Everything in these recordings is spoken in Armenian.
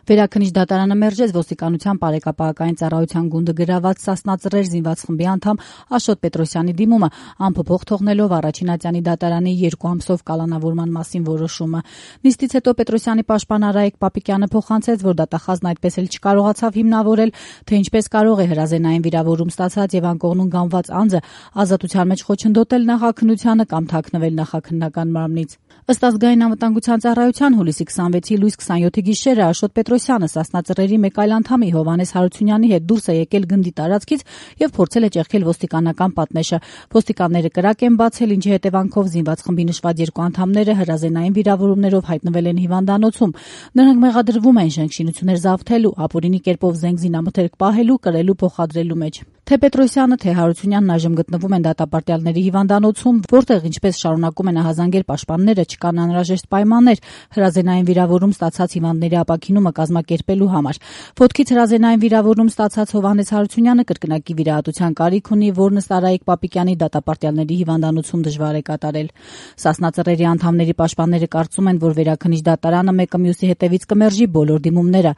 Վերաքննիչ դատարանը մերժեց ոստիկանության բարեկապահական ծառայության գունդը գրաված Սասնա Ծռեր զինված խմբի անդամ Աշոտ Պետրոսյանի դիմումը, անփոփոխ թողնելով առաջին ատյանի դատարանի 2 ամսով կալանավորման մասին որոշումը։ Նիստից հետո Պետրոսյանի պաշտպան Արայիկ Պապիկյանը փոխանցեց, որ դատախազն այդպես էլ չկարողացավ հիմնավորել, թե ինչպես կարող է հրազենային վիրավորում ստացած եւ անկողնուն գանված անձը ազատության մեջ խոչընդոտել նախաքննությանը կամ թաքնվել նախաքննական մարմնից։ Ըստ ազգային անվտանգության ծառայության հուլիսի 26-ի լույս 27-ի գիշերը Աշոտ Պետրոսյանը Սասնա Ծռերի մեկ այլ անդամի Հովհաննես Հարությունյանի հետ դուրս է եկել գնդի տարածքից եւ փորձել է ճեղքել ոստիկանական պատնեշը։ Ոստիկանները կրակ են բացել, ինչի հետևանքով զինված խմբի նշված 2 անդամները հրազենային վիրավորումներով հայտնվել են հիվանդանոցում։ Նրանք մեղադրվում են շենքշինություններ զավթելու, ապօրինի կերպով զենք զինամթերք պահելու, կրելու, փոխադրելու մեջ։ Թե Պետրոսյանը, թե Հարությունյանն այժմ գտնվում են դատապարտյալների հիվանդանոցում, որտեղ ինչպես շարունակում են ահազանգել պաշտպանները, չկան անհրաժեշտ պայմաններ հրազենային վիրավորում ստացած հիվանդների ապաքինումը կազմակերպելու համար։ Ոտքից հրազենային վիրավորում ստացած Հովհաննես Հարությունյանը կրկնակի վիրահատության կարիք ունի, որն ըստ Արայիկ Պապիկյանի դատապարտյալների հիվանդանոցում դժվար է կատարել։ Սասնա Ծռերի անդամների պաշտպանները կարծում են, որ վերաքննիչ դատարանը մեկը մյուսի հետևից կմերժի բոլոր դիմումները։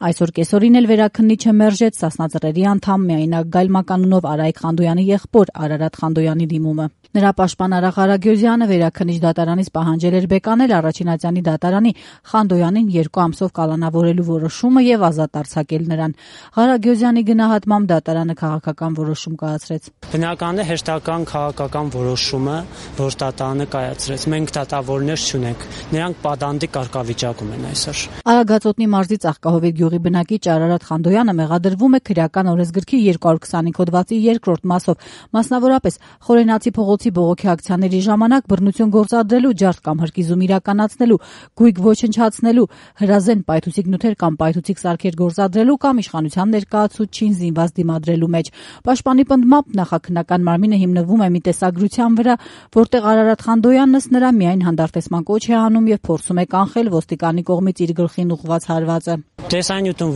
Այսօր կեսօրին էլ վերաքննիչը մերժեց Սասնա Ծռերի անդամ միայնակ Գայլ Մականունով Արայիկ Խանդոյանի եղբոր Արարատ Խանդոյանի դիմումը։ Նրա պաշտպան Արա Ղարագյուզյանը վերաքննիչ դատարանից պահանջել էր բեկանել առաջին ատյանի դատարանի Խանդոյանին 2 ամսով կալանավորելու որոշումը եւ ազատ արձակել նրան։ Ղարագյուզյանի գնահատմամբ դատարանը քաղաքական որոշում կայացրեց։ Բնականն է հերթական քաղաքական որոշումը, որ դատարանը կայացրեց։ Մենք դատավորներ չունենք։ Նրանք պատանդի կարգավիճակում են այսօր։ Արագածոտնի մարզի Ծաղկահովիտ գյուղի բնակիչ Արարատ Խանդոյանը մեղադրվում է քրեական օրենսգրքի 225 հոդվածի 2-րդ մասով, մասնավորապես Խորենացի փողոցի բողոքի ակցիաների ժամանակ բռնություն գործադրելու, ջարդ կամ հրկիզում իրականացնելու, գույք ոչնչացնելու, հրազեն պայթուցիկ նյութեր կամ պայթուցիկ սարքեր գործադրելու կամ իշխանության ներկայացուցչին զինված դիմադրելու մեջ։ Պաշտպանի պնդմամբ նախաքննական մարմինը հիմնվում է մի տեսագրության վրա, որտեղ Արարատ Խանդոյանն ըստ նրա միայն հանդարտեցման կոչ է անում եւ փորձում է կանխել ոստիկանի կողմից իր գլխին ուղղված հարվածը։ Տեսանյութում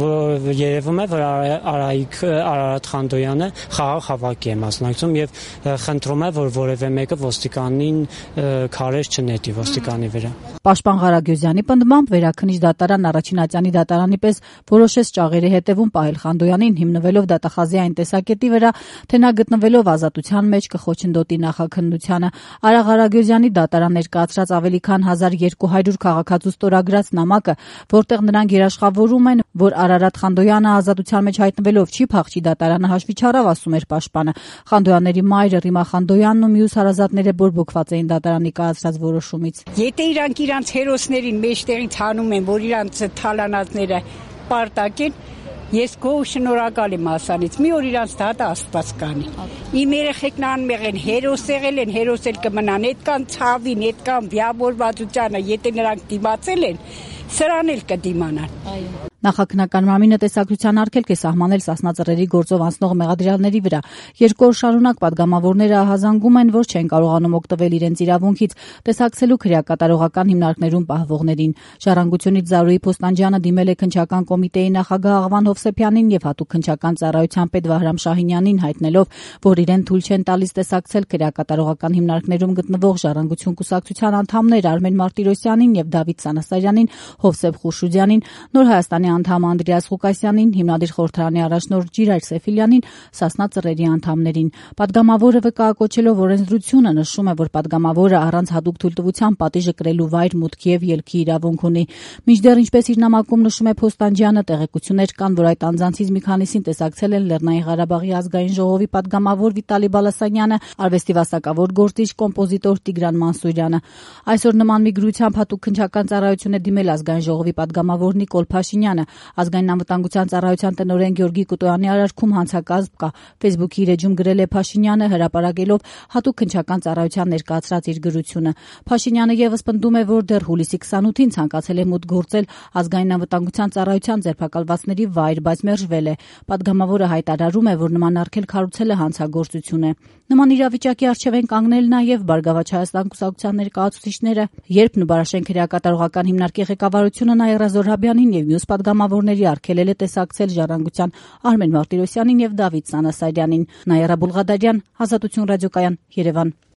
երևում է, որ Արարատ Խանդոյանը խաղաղ հավաքի է մասնակցում եւ խնդրում է, որ որևէ մեկը ոստիկանին քարեր չնետի ոստիկանի վրա։ Պաշտպան Ղարագյուզյանի պնդմամբ վերաքննիչ դատարան առաջին ատյանի դատարանի պես որոշեց ճաղերի հետևում պահել Խանդոյանին հիմնվելով դատախազի այն տեսակետի վրա, թե նա գտնվելով ազատության մեջ կխոչընդոտի նախաքննությանը։ Արա Ղարագյուզյանի դատարան ներկայացրած ավելի քան 1200 քաղաքացու ստորագրած նամակը, որտեղ նրանք երաշխավորում են, որ Արարատ Խանդոյանը ազատության մեջ հայտնվելով չի փախչի դատարանը հաշվի չառավ, ասում էր պաշտպանը։ Խանդոյանների մայրը Ռիմա Խանդոյանն ու մյուս հարազատները բորբոքված էին դատարանի կայացրած որոշումից։ Եթե իրանց հերոսներին մեջտեղից հանում են, որ իրանց թալանածները պարտակեն, ես գոհ շնորհակալ եմ ասանից։ Մի օր իրանց դատը Աստված կանի։ Իմ երեխեքն անմեղ են, հերոս եղել են, հերոս էլ կմնան, այդքան ցավին, այդքան վիավորվածությանը, եթե նրանք դիմացել են, սրան էլ կդիմանան։ Այո։ Նախաքննական մարմինը տեսակցության արգելք է սահմանել Սասնա Ծռերի գործով անցնող մեղադրյալների վրա։ 2 օր շարունակ պատգամավորները ահազանգում են, որ չեն կարողանում օգտվել իրենց իրավունքից, տեսակցելու քրեակատարողական հիմնարկներում պահվողներին։ Ժառանգությունից Զարուհի Փոստանջյանը դիմել է քննչական կոմիտեի նախագահ Աղվան Հովսեփյանին եւ հատուկ քննչական ծառայության պետ Վահրամ Շահինյանին, հայտնելով, որ իրեն թույլ չեն տալիս տեսակցել քրեակատարողական հիմնարկներում գտնվող Ժառանգություն կուսակցության անդամներ Արմեն Մարտիրոսյանին եւ Դավիթ Սանասարյանին, Հովսեփ Խուրշուդյանին, Նոր Հայաստանի անդամ Անդրեաս Ղուկասյանին, հիմնադիր խորհրդարանի առաջնորդ Ջիրայր Սեֆիլյանին, Սասնա Ծռերի անդամներին։ Պատգամավորը վկայակոչելով օրենսդրությունը նշում է, որ պատգամավորը առանց հատուկ թույլտվության պատիժը կրելու վայր, մուտքի եւ ելքի իրավունք ունի։ Մինչդեռ, ինչպես իր նամակում նշում է Փոստանջյանը, տեղեկություններ կան, որ այդ անձանցից մի քանիսին տեսակցել են Լեռնային Ղարաբաղի ազգային ժողովի պատգամավոր Վիտալի Բալասանյանը, արվեստի վաստակավոր գործիչ կոմպոզիտոր Տիգրան Մանսուրյանը։ Այսօր նման մի գրությամբ հատուկ քննչական ծառայություն է դիմել ազգային ժողովի պատգամավոր Նիկոլ Փաշինյանը։ Ազգային անվտանգության ծառայության տնօրեն Գյորգի Կուտոյանի արարքում հանցակազմ կա։ Facebook-ի իր էջում գրել է Փաշինյանը, հրապարակելով հատուկ քննչական ծառայության ներկայացրած իր գրությունը։ Փաշինյանը եւս պնդում է, որ դեռ հուլիսի 28-ին ցանկացել է մուտք գործել ազգային անվտանգության ծառայության ձերբակալվածների վայր, բայց մերժվել է։ Պատգամավորը հայտարարում է, որ նման արգելք հարուցելը հանցագործություն է։ Նման իրավիճակի առջև են կանգնել նաև Բարգավաճ Հայաստան կուսակցության ներկայացուցիչները, երբ Նուբարաշեն քրեակատարողական հիմնարկի ղեկավարությունը Նաիրա Զոհրաբյանին եւ մյուս պատգամավորների արգելել է տեսակցել Ժառանգության Արմեն Մարտիրոսյանին եւ Դավիթ Սանասարյանին։ Նաիրա Բուլղադարյան, Ազատություն ռադիոկայան, Երևան։